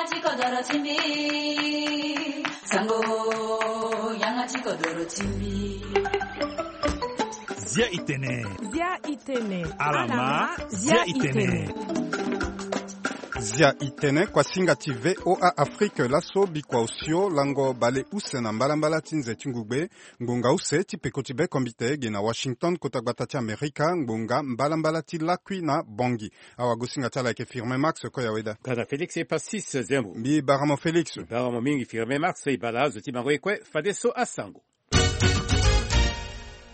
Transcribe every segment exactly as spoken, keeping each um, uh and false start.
Ti kodoro ti mbi, sango, yanga ti kodoro ti mbi. Zia itene. Zia itene. Alama, zia itene. Zia itene, kuasinga ti V O A Afrique, laso bikua osio lango bale use na mbalambala ti nze ti ngugbe, ngbonga use ti peko ti be kombite ge na Washington, kota gbata ti Amerika, ngbonga mbalambala ti lakui na Bangui. Awagosinga ti ala ayeke Firmin Max Koyaweda. Gana Félix Epassis Zembo. Mbi bara mo Félix. Bara mo mingi Firmin Max, e bara azo ti bango ye kue fadeso asango.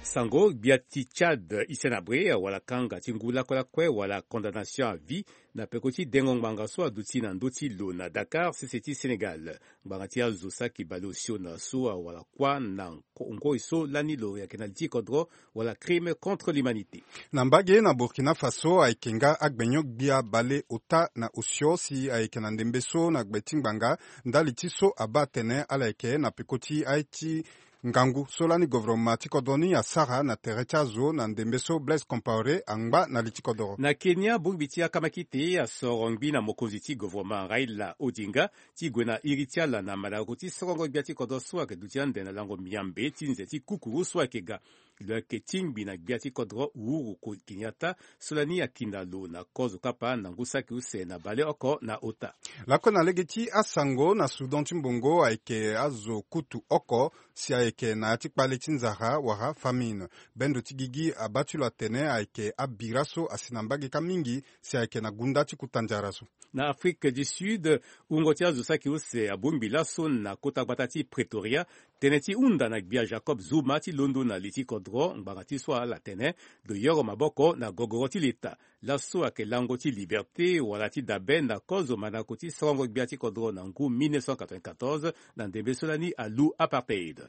Sango, gbia ti Tchad Hissène Habré awara kanga ti ngu lakue lakue wala condamnation à vie na peko ti dengo ngbanga so aduti na ndö ti lo na Dakar, sese ti Sénégal. Ngbanga ti azo saki baleosio na so awara kuâ na ngoi so lani lo yeke na li ti kodro wala crime contre l'humanité. Na mbage na Burkina Faso ayeke nga agbenyo gbia baleota na osio si ayeke na ndembe so na gbe ti ngbanga ndali ti so abaa atene ala yeke na peko ti aye ti ngangu so lani governement ti kodro ni asara na tere ti azo na ndembe so Blaise Compaoré angba na li ti kodro. Na Kenya, bongbi ti akamakite asoro ngbi na mokonzi ti governement Raila Odinga ti gue na iri ti ala na mandako ti sorongo gbia ti kodro so ayeke duti ande na lango miambe ti nze ti kukuru so ayeke ga. Lo yeke tingbi na gbia ti kodro Uhuru Kenyatta so lani akina lo na kozo kapa na ngu saki use na baleoko na ota. Lakue na lege ti asango, na Soudan ti mbongo ayeke azo kutu oko si ayeke na ya ti kpale ti nzara wala famine. Bendo ti gigi abaa ti lo atene ayeke abira so asi na mbage kâ mingi si ayeke na gunda ti kuta nzara so. Na Afrique du Sud, wungo ti azo saki use abongbi laso na kota gbata ti Pretoria, tënë ti hunda na gbia Jacob Zuma ti londo na li ti kodro ngbanga ti so ala tene lo yoro maboko na gogoro ti leta. Laso ayeke lango ti liberté wala ti dabe na kozo mandako ti sorongo gbia ti kodro na ngu mille neuf cent quatre-vingt-quatorze na ndembe so lani alu apartheid.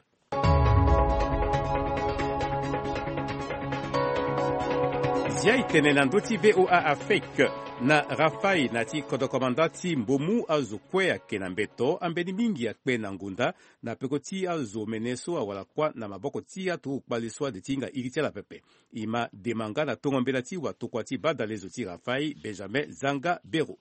Zia itene na ndö ti V O A Afrique. Na Rafaï na ti kodro komanda ti Mbomu azo kue ayeke na mbeto, ambeni mingi akpe na ngonda na peko ti azo mene so awara kuâ na maboko ti aturugu kpale so ade ti hinga iri ti ala pepe. E ma dema nga na tongo mbela ti watokua ti badalezo ti Rafaï, Benjamin Zanga Bero.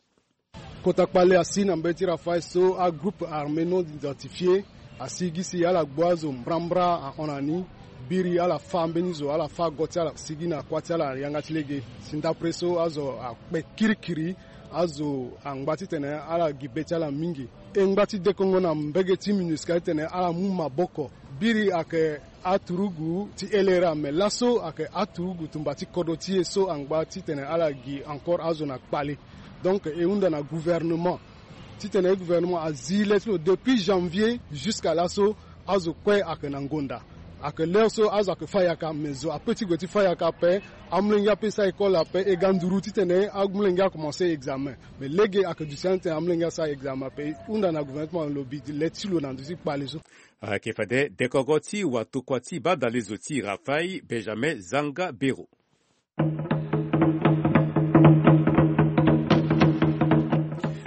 Kota kpale asi na mbeti Rafaï so agroupe armé non identifié asi gi si ala gbu azo mbrambra ahon na ni. Biri ala fâ mbeni zo, ala fâ go ti ala, sigi na kuâ ti ala na yanga ti lege. Si ndapre so azo akpe kirikiri, azo angba titene ala gi be ti ala mingi. E ngba ti dekongo na mbege ti MINUSCA titene ala mu maboko. Biri ayeke aturugu ti L R A, me laso ayeke aturugu tumba ti kodro ti e so angba titene ala gi encore azo na kpale. Donc e hunda na gouvernement titene gouvernement azi le ti lo depuis janvier jusqu'à laso azo kue ayeke na ngonda. Ayeke l'heure so azo ayeke fâ yaka, me zo ape ti gue ti fâ yaka ape. Amolenge ape e sara école ape, e ga nduru titene amolenge akomanse examen. Me lege ayeke duti ande titene amolenge asara examen ape. E hunda na gouvernement ti mo na lo bi le ti lo na ndö ti kpale so. Ayeke fade dekongo ti watokua ti badalezo ti Rafaï, Benjamin Zanga Bero.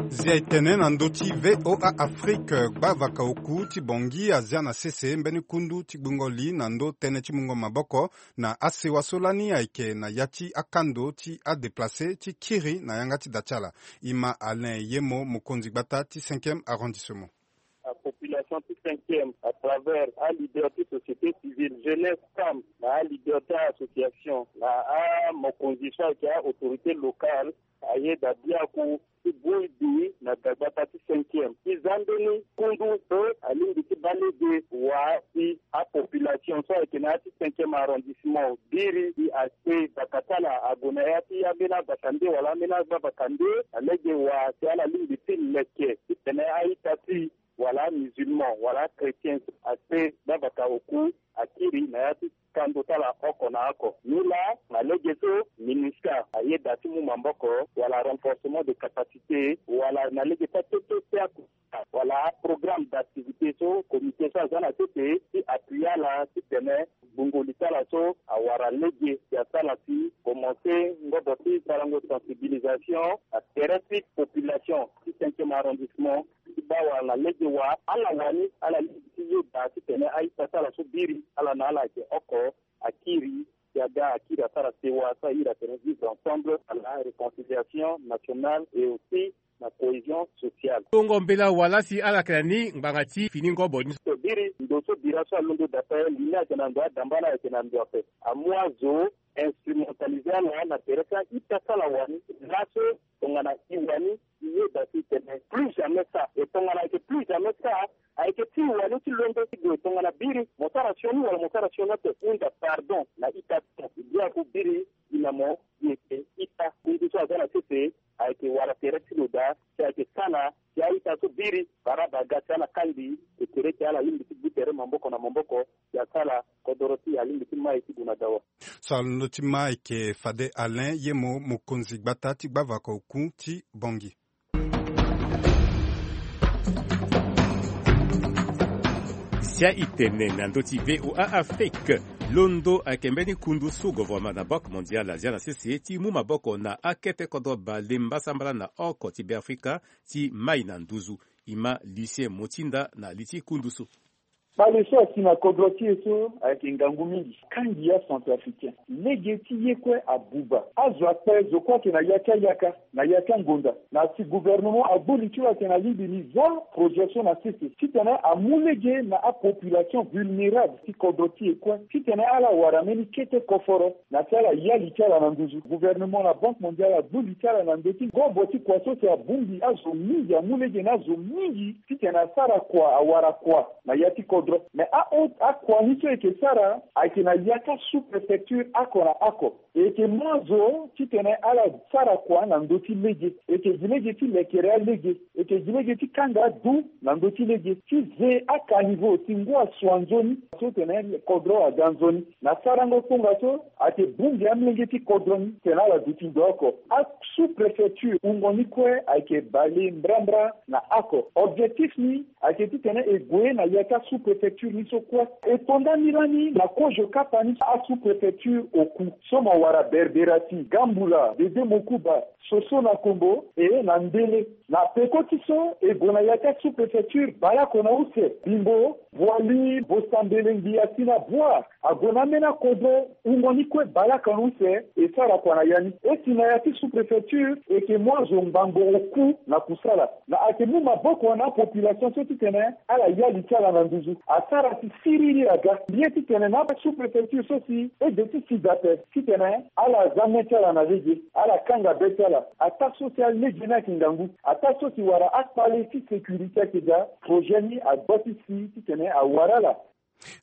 Zia etene na ndö ti V O A Afrique, gbavaka oku ti Bangui azia na sese mbeni kundu ti gbungo li na ndö tënë ti mungo maboko na asewa so lani ayeke na ya ti akando ti adéplacé ti kiri na yanga ti da ti ala. E ma Alain Yemo, mokonzi gbata ti cinquième arrondissement. Apopulation ti cinquième à travers aleader ti société civile, jeunesse, femme, na aleader ti association, na amokonzi so ayeke aautorité locale, ayeda biaku ti bui bi na dagbata ti cinquième ti za mbeni kundu so alingbi ti baa lege wa ti apopulation so ayeke na ya ti cinquième arrondissement biri ti aspect baka ti ala ague na ya ti ambeni abaka nde wala ambeni agbavaka nde, na lege wa si ala lingbi ti leke titene a-ita ti wala amusulman wala achrétien aspect gbavaka oku akiri na ya ti kando ti ala oko na oko. Nilaa na lege so MINUSCA ayeda ti mu maboko wala renforcement de capacité wala na lege ti akete ti aku wala aprogramme d'activité so comité so aza na sese ti appuyer ala titene gbungo li ti ala so awara lege si asara si commencer ngobo ti sarango sensibilisation na tere ti population ti cinquième arrondissement ti baa wala na lege wa ala wani ala lege ti yeda titene a-ita ti ala so biri ala na ala ayeke oko akiri si aga akiri asara sewa so ahiri atene vivre ensemble wala réconciliation nationale et aussi na cohésion Sociale. Tongo mbela wala si ala yeke na ni ngbanga ti fini ngobo ni so. Biri ndo so bira so alondo daa ape, li ni ayeke na ndo adamba ni ayeke na ndo ape. Amu azo instrumentaliser ala na tere ti a-ita ti ala wani laso. Tongana e wani e yeda si tene plus jamais ça. E tongana ayeke plus jamais ça, ayeke ti e wani ti londo ti gue. Tongana biri mo sara sioni wala mo sara sioni ate, hunda pardon na ita ti mo. E bia ku biri e na mo e yeke ita. Kundu so aza na sese ayeke wara tere ti lo daa, si ayeke sala si a-ita so biri bara baga si ala kangbi e tere ti ala lingbi ti gbu tere maboko na maboko. Si asala kodoro ti e alingbi ti mai ti gue na dawa. So alondo ti ma ayeke fade Alain Yemo, mokonzi gbata ti gbavaka oku ti Bangui. Zia e tene na ndö ti V O A Afrique. Londo ayeke mbeni kundu so gouvernement na Banque Mondiale azia na sese ti mu maboko na akete kodro bale mbasambala na oko ti Beafrika ti mai na nduzu. E ma Lucien Motinda na li ti kundu so. Kpale so asi na kodro ti e so ayeke ngangu mingi. Kangi acentrafricain, lege ti ye kue abuba. Azo akpe, zo kue ayeke na ya ti ayaka, na ya ti angonda. Na si gouvernement agbu li ti lo ayeke na lingbi ni za projet so na sese titene amu lege na apopulation vulnérable ti kodro ti e kue, titene ala wara mbeni kete koforo na si ala ya li ti ala na nduzu. Gouvernement na Banque Mondiale agbu li ti ala na ndö ti ngobo ti kua so si abongbi azo mingi, amu lege na azo mingi titene asara kua, awara kua na ya ti kodro. Me a-, akua ni so e yeke sara ayeke na ya ti asous-préfecture oko na oko. E yeke mu azo titene ala sara kua na ndö ti lege. E yeke gi lege ti lekere alege. E yeke gi lege ti kanga adu na ndö ti lege, ti ze akanivo, ti ngu asu anzoni so tene kodro aga nzoni. Na sarango tongaso ayeke bongbi amolenge ti kodro ni tene ala duti ndo oko. Asous-préfecture wungo ni kue ayeke bale mbrambra na oko. Objectif ni ayeke titene e gue na ya ti asous-préfecture ni so kue. E to ndani lani na kozo kapa ni asous-préfecture oku so mo wara Berberati, Gambula, Dédé Mocouba, Sosso na Kombo, e na Ndélé. Na peko ti so e gue na ya ti asous-préfecture baleoko na use: Bimbo, Boali, Bossambélé, Ngbiati na Bouar. Ague na ambeni akodro wungo ni kue baleoko na use, e sara kua na ya ni. E si na ya ti sous-préfecture, e yeke mu azo ngbangbo oku na kusala. Na ayeke mu maboko na apopulation so titene ala ya li ti ala na nduzu. Asara si siriri aga. Mbi ye titene na asous-préfecture so si e de ti sida ape, titene ala za mê ti ala na lege, ala kanga be ti ala. Ataa so si alege ni ayeke ngangu, ataa so si wara akpale ti sécurité ayeke daa, projet ni agba ti si titene awara ala.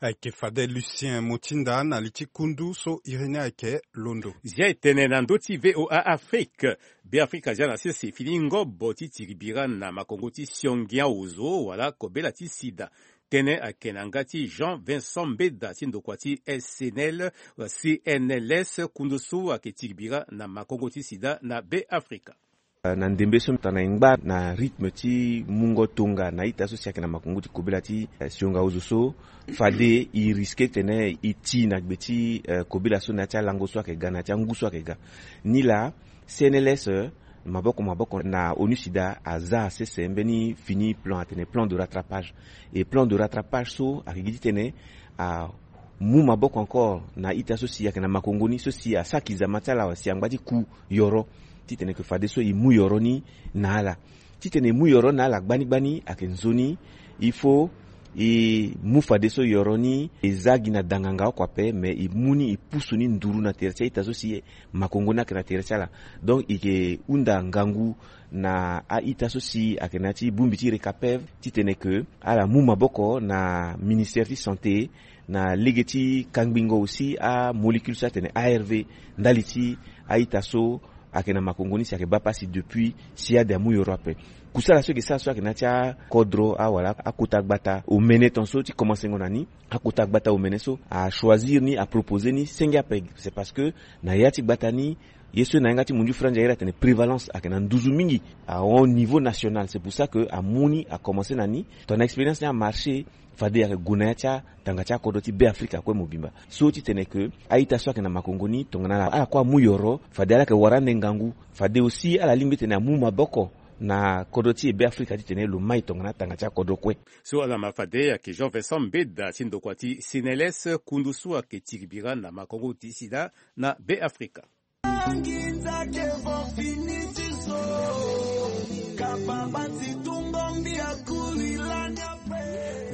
Ayeke fade Lucien Motinda na li ti kundu so iri ni ayeke londo. Zia e tene na ndö ti V O A Afrique. Beafrika azia na sese fini ngobo ti tiri bira na makongo ti siongi aozo wala kobela ti sida. Tënë ayeke na yanga ti Jean Vincent Mbeda ti ndokua ti S N L, C N L S, kundu so ayeke tiri bira na makongo ti sida na Beafrika. Na ndembe so tongana e ngba na rythme ti mungo tonga na ita so si ayeke na makongo ti kobela ti, eh, sionga ozo so, fade e risque tene e ti na gbe ti, eh, kobela so na ya ti alango so ayeke ga, na ya ti angu so ayeke ga. Nilaa, C N L S, eh, maboko maboko na ONUSIDA aza sese mbeni fini plan atene plan de rattrapage. E plan de rattrapage so ayeke gi titene amu maboko encore na ita so si ayeke na makongo ni so si asaki zama ti ala wala si angba ti ku yoro, titene ke fadeso e mu yoro ni na ala. Titene e mu yoro ni na ala gbani gbani ayeke nzoni. Il faut e mu fadeso yoro ni e za gi na danganga oko ape, me e mu ni e pusu ni nduru na tere ti a-ita so si makongo ni ayeke na tere ti ala. Donc e yeke hunda ngangu na a-ita so si ayeke na ya ti bongbi ti RECAPEV titene ke ala mu maboko na ministère ti santé na lege ti kangbingo aussi amolécule so atene A R V ndali ti a-ita so ayeke na makongo ni si ayeke baa pasi depuis si ade amu yoro ape. Kusala so e yeke sara so ayeke na ya ti akodro awala akota gbata omene tongaso ti komansengo na ni. Akota gbata omene so achoisir ni, aproposer ni senge ape. C'est parce que na ya ti gbata ni, ye so e na yanga ti mundu franzi airi atene prévalence ayeke na nduzu mingi. Ahon niveau national, c'est pour ça que amu ni akomanse na ni. Tongana expérience ni amarché, fade ayeke gue na ya ti atanga ti akodro ti Beafrika kue mobimba. So titene ke a-ita so ayeke na makongo ni tongana ala, ala kue amu yoro, fade ala yeke wara ande ngangu. Fade aussi ala lingbi titene amu maboko na kodro ti e Beafrika titene lo mai tongana atanga ti akodro kue. So ala ma fade ayeke Jean Vincent Mbeda ti ndokua ti C N L S, kundu so ayeke tiri bira na makongo ti sida na Beafrika. Nginza ke vo fini ti so. Ka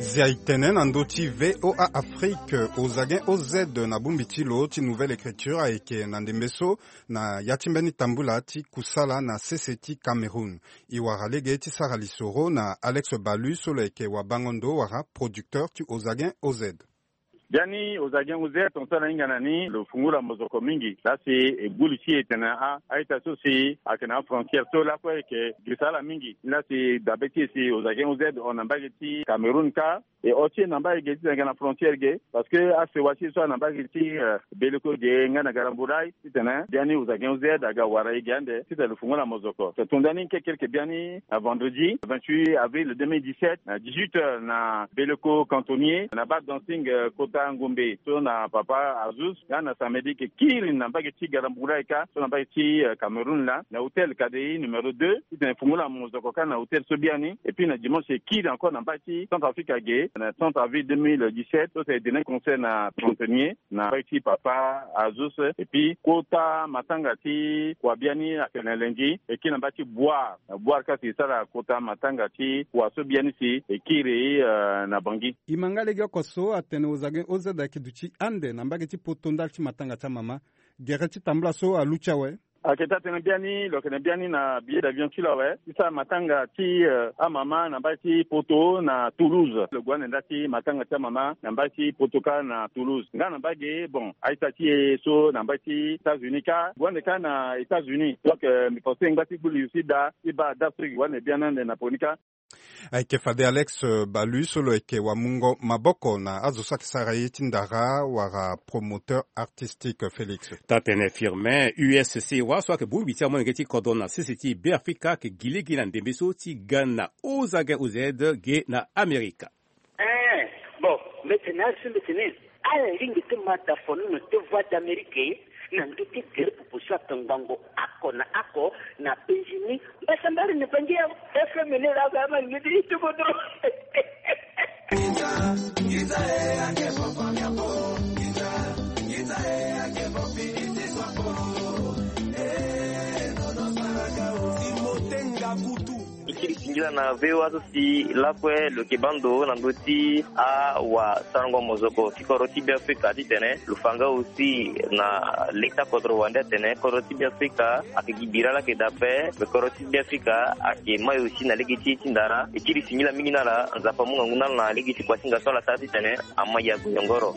Zia itene na ndö ti VOA Afrique, Ozagen O Z na bongbi ti lo ti Nouvelle Écriture ayeke na ndembe so na ya ti mbeni tambula ti kusala na sese ti Cameroun. E wara lege ti sara lisoro na Alex Balu so lo yeke wabango ndo wala producteur ti Ozagen O Z. Biani Ozagen O Z, tongaso ala hinga na ni lo fungula mozoko mingi. Laa si e gbu li ti e tene a, a-ita so si ayeke na afrontière so lakue ayeke girisa ala mingi. Ni laa si dabe ti e si Ozagen O Z ahon na mbage ti Cameroun kâ. E hon ti e na mbage ge titene ayeke na frontière ge. Parce que asewa ti e so ahon na mbage ti, eh, Beleko ge nga na Garambouraye. Titene biani Ozagen O Z aga wara e ge ande titene lo fungula mozoko. Tonda ni kekereke biani na vendredi vingt-huit avril deux mille dix-sept na dix-huit heures na Beleko Cantonnier na bar dancing, eh, Kota Ngombe so na papa Azus. Nga na samedi e yeke kiri na mbage ti Garambouraye kâ so na mbage ti, eh, Cameroun laa na hôtel Kadei numéro deux. Titene fungula mozoko kâ na hôtel so biani. Et puis na dimanche e kiri encore na mbage ti Centrafrique ge na trente avril deux mille dix-sept so si e donner concert na Cantonnier na mbage ti papa Azus. Et puis kota matanga ti kua biani ayeke na lundi e kiri na mbage ti Bouar. Na Bouar kâ si e sara kota matanga ti kua so biani si e kiri, eh, na Bangui. E ma nga lege oko so atene Ozagen O Z ayeke duti ande na mbage ti poto ndali ti matanga ti amama. Gere ti tambula so aluti awe. Ayeke taa-tënë biani lo yeke na biani na billet d'avion ti lo awe ti sara matanga ti, eh, amama na mbage ti poto na Toulouse. Lo gue ande ndali ti matanga ti amama na mbage ti poto kâ na Toulouse. Nga na mbage, bon, a-ita ti e so na mbage ti États-Unis kâ gue ande kâ na États-Unis. Donc, eh, mbi pense ngba ti gbu li aussi daa ti baa daa so e gue ande biani ande na poni kâ. Ayeke fade Alex, eh, Balu so lo yeke wamungo maboko na azo so ayeke sara ye ti ndara wala promoteur artistique Félix. Taa-tënë Firmin, U S C wa so ayeke bongbi ti amolenge ti kodro na sese ti Beafrika ayeke gi lege na ndembe so ti ga na Ozagen O Z ge na Amerika. Eh, bon, mbi tene azo so mbi tene ala lingbi ti ma dafonono ti Voix d'Amérique na ndö ti gere popo so ayeke ngbongo oko na oko na Benjini. Mbasambara na Bangi awe. F M ni laa azo ama lingbi ti ti kodro. E kiri singila na V O A so si lakue lo yeke baa ndo na ndö ti awasarango mozoko ti kodro ti Beafrika titene lo fa nga aussi na leta kodro wande atene kodro ti Beafrika ayeke gi bira laa ayeke daa ape. Me kodro ti Beafrika ayeke mai aussi na lege ti e ti ndara. E kiri singila mingi na ala, Nzapa amu ngangu na ala na lege ti kuasinga so ala sara titene ama ya goyongoro.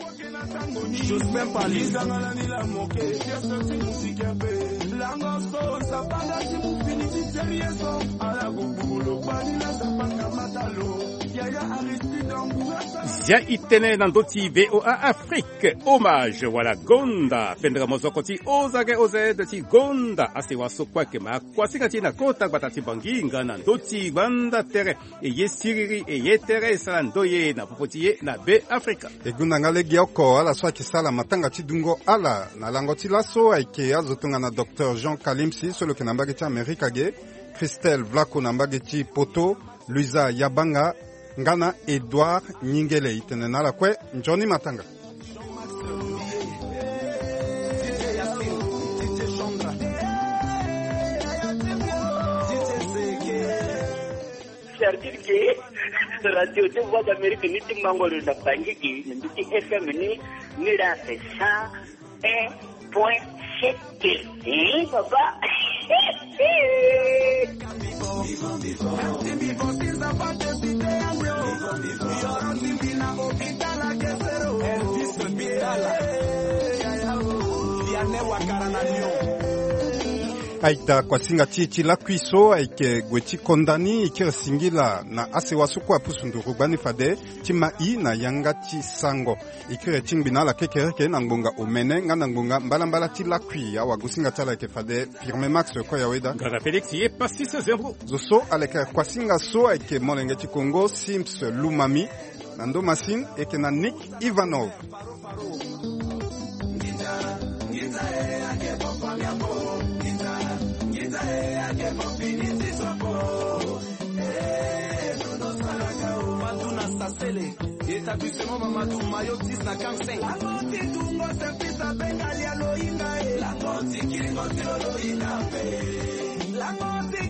Zia itene na ndö ti V O A Afrique, hommage wala gonda pendere mozoko ti Ozage O Z ti gonda asewa so kue ayeke ma kuasinga ti e na kota gbata ti Bangui nga na ndö ti gbanda tere. E ye siriri, e ye tere, e sara ndoye na popo ti e na Beafrika. E gonda nga legeoko ala so ayeke sara matanga ti dungo ala na lango ti laso ayeke azo tongana Docteur Jean Kalimsi so lo yeke na mbage ti Amerika ge, Christelle Vlaco na mbage ti Poto, Luisa Yabanga, nga na Edouard Nyingele. E tene na ala kue nzoni matanga. C'est-à-dire que radio ti Voix d'Amérique ni ti mango lo na Bangui gi na ndö ti F M ni, ni la c'est cent un point sept. Eh, papa. Aita kuasinga ti e ti lakui so ayeke gue ti konda ni, e kiri singila na asewa so kue apusu nduru gbani fade ti ma i na yanga ti sango. E kiri ti ngbi na ala kekereke na ngbonga omene nga na ngbonga mbalambala ti lakui. Awagosinga ti ala ayeke fade Firme Max Koyaweda. Nganga Félix ye Pastis Zembro. Zo so aleke kuasinga so ayeke molenge ti Kongo Sims Lumami. Na ndo masini e yeke na Nick Ivanov. Établissement Mamadou na Sasele, établissement Mamadou, maillot dix na quarante-cinq. Lango ti dungo service abenga lia loyinga e. Lango ti kiringo ti lo loyinga pe. Lango ti